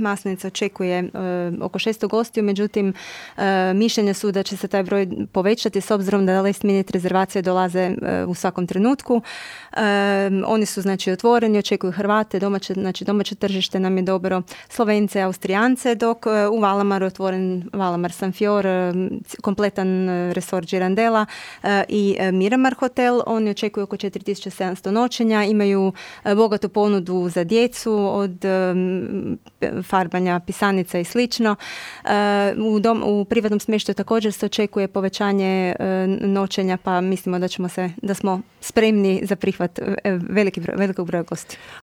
Maslenica očekuje oko 600 gostiju, međutim mišljenja su da će se taj broj povećati s obzirom da last minute rezervacije dolaze u svakom trenutku. Oni su znači otvoreni, očekuju Hrvate, domaće tržište nam je dobro, Slovence, Austrijance, dok u Valamaru je otvoren Valamar San Fior, kompletan resort Girandela i Miramar hotel. Oni očekuju oko 4700 noćenja, imaju bogatu ponudu za djecu od farbanja pisanica i slično. U privatnom smještaju također se očekuje povećanje noćenja, pa mislimo da smo spremni za prihvat velikog broja gostiju.